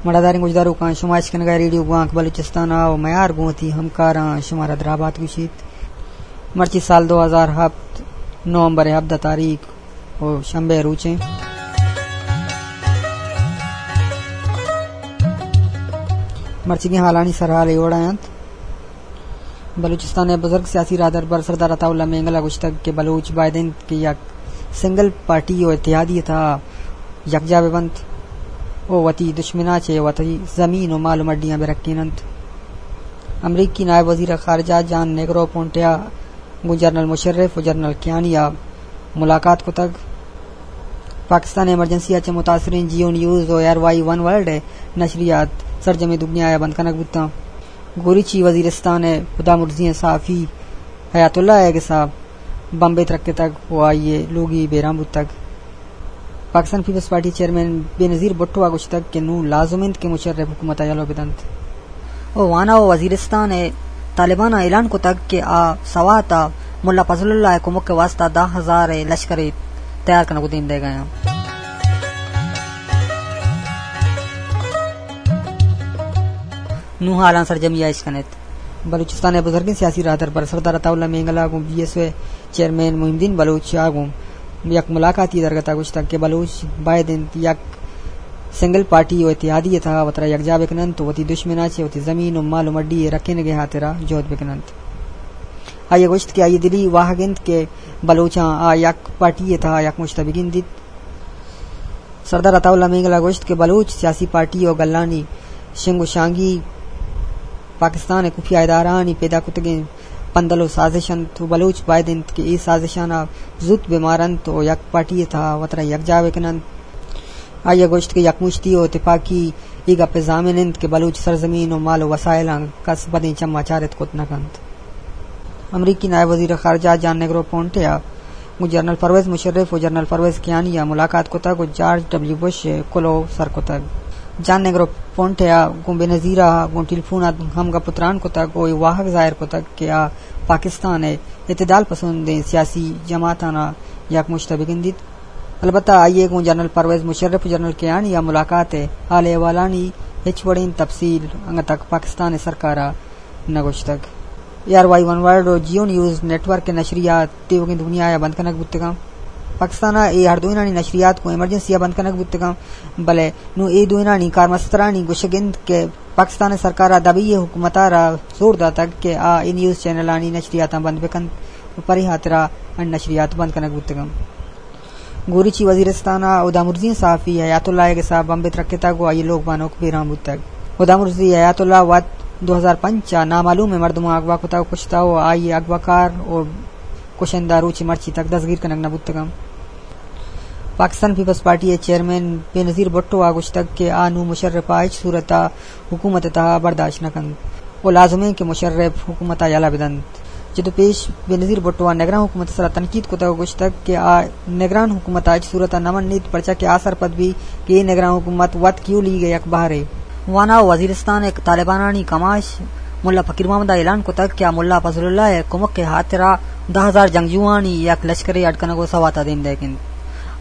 مڑاداریں گوشداروکاں، شما اشکنگا ریڈیو گوانک بلوچستان ءَ ءُ میار گوں وتی ہمکاراں شمارا درابات گوشیت۔ مرچی سال دو ہزار ہپت، نومبر ہبدہ تاریخ ءُ شنبے روچیں۔ مرچیگیں حالانی سرحال اے وڑا انت۔ بلوچستان ءِ بزرگ سیاسی راہدربر سردار عطا اللہ مینگل ءَ گوشتگ کہ بلوچ باید انت کہ یک سنگل پارٹی ءُ اتحادی ءِ تہا یکجاہ بہ بنت ءُ وتی دشمناں چہ وتی زمین ءُ مال ءُ مڈیاں بہ رکین انت۔ امریکی نائب وزیر خارجہ جان نیگرو پونٹیا گوں جنرل مشرف ءُ جنرل کیانی ءَ ملاقات کتگ۔ پاکستان ایمرجنسی ءَ چہ متاثریں جیو نیوز ءُ آر وائی ون ورلڈ ءِ نشریات سرجمیں دنیا ءَ بند کنگ بوتاں۔ گوریچی وزیرستان ءِ ہدامرزی ءِ صحافی حیات اللہ ءِ گس ءَ بمبے ترکتگ ءُ آئی ءِ لوگی بیران بوتگ۔ پاکستان پیپلز پارٹی چیئرمین بینظیر بھٹو ءَ گوشتگ کہ نوں لازم انت کہ مشرف حکومت ءَ یلہ بدنت۔ ءُ وانا ءُ وزیرستان ءِ طالبان ءَ اعلان کتگ کہ آ سوات ءَ ملا فضل اللہ ءِ کمک ءِ واستہ دہ ہزار ءِ لشکرے تیار کنگ ءُ دیم دئیگ ءَ انت۔ نوں حالاں سرجمی ءَ اشکن ات۔ بلوچستان ءِ بزرگیں سیاسی راہدربر سردار عطا اللہ مینگل ءَ گوں بی ایس او ءِ چیئرمین محی الدین بلوچ ءَ گوں یک ملاقاتی درگت ءَ گوشتگ کہ بلوچ باید انت یک سنگل پارٹی ءُ اتحادی ءِ تہا وترا یکجاہ بکن انت ءُ وتی دشمن ءَ چہ وتی زمین ءُ مال ءُ مڈی ءِ رکینگ ءِ ہاترا جہد بکن انت۔ آئی ءَ گوشت کہ آئی ءِ دلی واہگ انت کہ بلوچاں آ یک پارٹی ءِ تہا یک مشت ءَ بگندیت۔ سردار عطا اللہ مینگل ءَ گوشت کہ بلوچ سیاسی پارٹی ءُ گلانی شنگ ءُ شانگی پاکستان ءِ خفیہ ادارہانی پیدا کتگیں پندل ءُ سازش انت ءُ بلوچ باید انت کہ اے سازشاں زوت بہ مار انت ءُ یک پارٹی ءِ تہا وترا یکجاہ بکن انت۔ آئی ءَ گوشت کہ یکمشتی ءُ تپاکی اے گپ ءِ ضامن انت کہ بلوچ سرزمین ءُ مال ءُ وسائلاں کس بدیں چم ءَ چارت کت نہ کنت۔ امریکی نائب وزیر خارجہ جان نیگرو پونٹے ءَ گوں جنرل پرویز مشرف ءُ جنرل پرویز کیانی ءَ ملاقات کتگ ءُ جارج ڈبلیو بش ءِ کلوہ سر کتگ۔ جان نیگرو پونٹے ءَ گوں بینظیر ءَ گوں ٹیلیفون ءَ ہم گپ ءُ تران کتگ ءُ اے واہگ ظاہر کتگ کہ آ پاکستان ءِ اعتدال پسندیں سیاسی جماعتاں یک مشت ءَ بگندیت۔ البتہ آئی ءَ گوں جنرل پرویز مشرف ءُ جنرل کیانی ءَ ملاقات ءِ حال احوالانی ہچ وڑیں تفصیل انگت تک پاکستان ءِ سرکار ءَ نہ گوشتگ۔ اے آر وائی ون ورلڈ ءُ جیو نیوز نیٹ ورک ءِ نشریات تیوگیں دنیا ءَ بند کنگ بوتگاں۔ پاکستان ءَ اے ہر دوئینانی نشریات گوں ایمرجنسی ءَ بند کنگ بوتگاں، بلے نوں اے دوئینانی کارمسترانی گوشگ انت کہ پاکستان ءِ سرکار ءَ دبئی ءِ حکومت ءَ را زور داتگ کہ آ اے نیوز چینلانی نشریاتاں بند بکنت ءُ پرے ہاترا اے نشریات بند کنگ بوتگاں۔ گوریچی وزیرستان ءَ ہدامرزیں صحافی حیات اللہ ءِ گس ءَ بمبے ترکتگ ءُ آئی ءِ لوگ بانک بیران بوتگ۔ ہدامرزی حیات اللہ وت دو ہزار پنچ ءَ نامعلومیں مردماں اغوا کتگ ءُ کشتہ ءُ آئی ءِ اغواکار ءُ کشندہ روچ مرچی تک دزگیر کنگ نہ بوتگاں۔ پاکستان پیپلز پارٹی ءِ چیئرمین بینظیر بھٹو ءَ گوشتگ کہ آ نوں مشرف ءَ ہچ صورت ءَ حکومت ءِ تہا برداشت نہ کنت ءُ لازم انت کہ مشرف حکومت ءَ یلہ بدنت۔ چد ءُ پیش بینظیر بھٹو ءَ نگران حکومت ءِ سرا تنقید کتگ ءُ گوشتگ کہ آ نگران حکومت ءَ ہچ صورت ءَ نہ منیت، پرچا کہ آ سرپد بیت کہ اے نگران حکومت وت کیو لیگ ءِ یک بہرے۔ وانا ءُ وزیرستان ءِ طالبانانی کماش ملا فقیر محمد ءَ اعلان کتگ کہ آ ملا فضل اللہ ءِ کمک ءِ ہاترا دہ ہزار جنگجوانی یک لشکرے اڈ کنگ ءُ سوات ءَ دیم دئیگ انت۔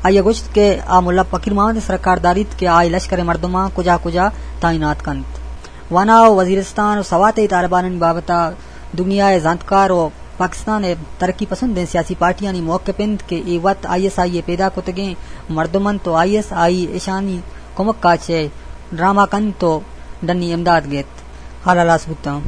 آئی ءَ گوشت کہ آ ملا فقیر محمد ءِ سرا کار داریت کہ آ اے لشکر ءِ مردماں کجا کجا تعینات کنت۔ وانا ءُ وزیرستان ءُ سوات ءِ طالبانانی بابت ءَ دنیا ءِ زانتکار ءُ پاکستان ءِ ترقی پسندیں سیاسی پارٹیانی موقف انت کہ اے وت آئی ایس آئی ءِ پیدا کتگیں مردم انت ءُ آئی ایس آئی اشانی کمک ءَ چہ ڈرامہ کنت ءُ ڈنی امداد گیت۔ حال ہلاس بوتاں۔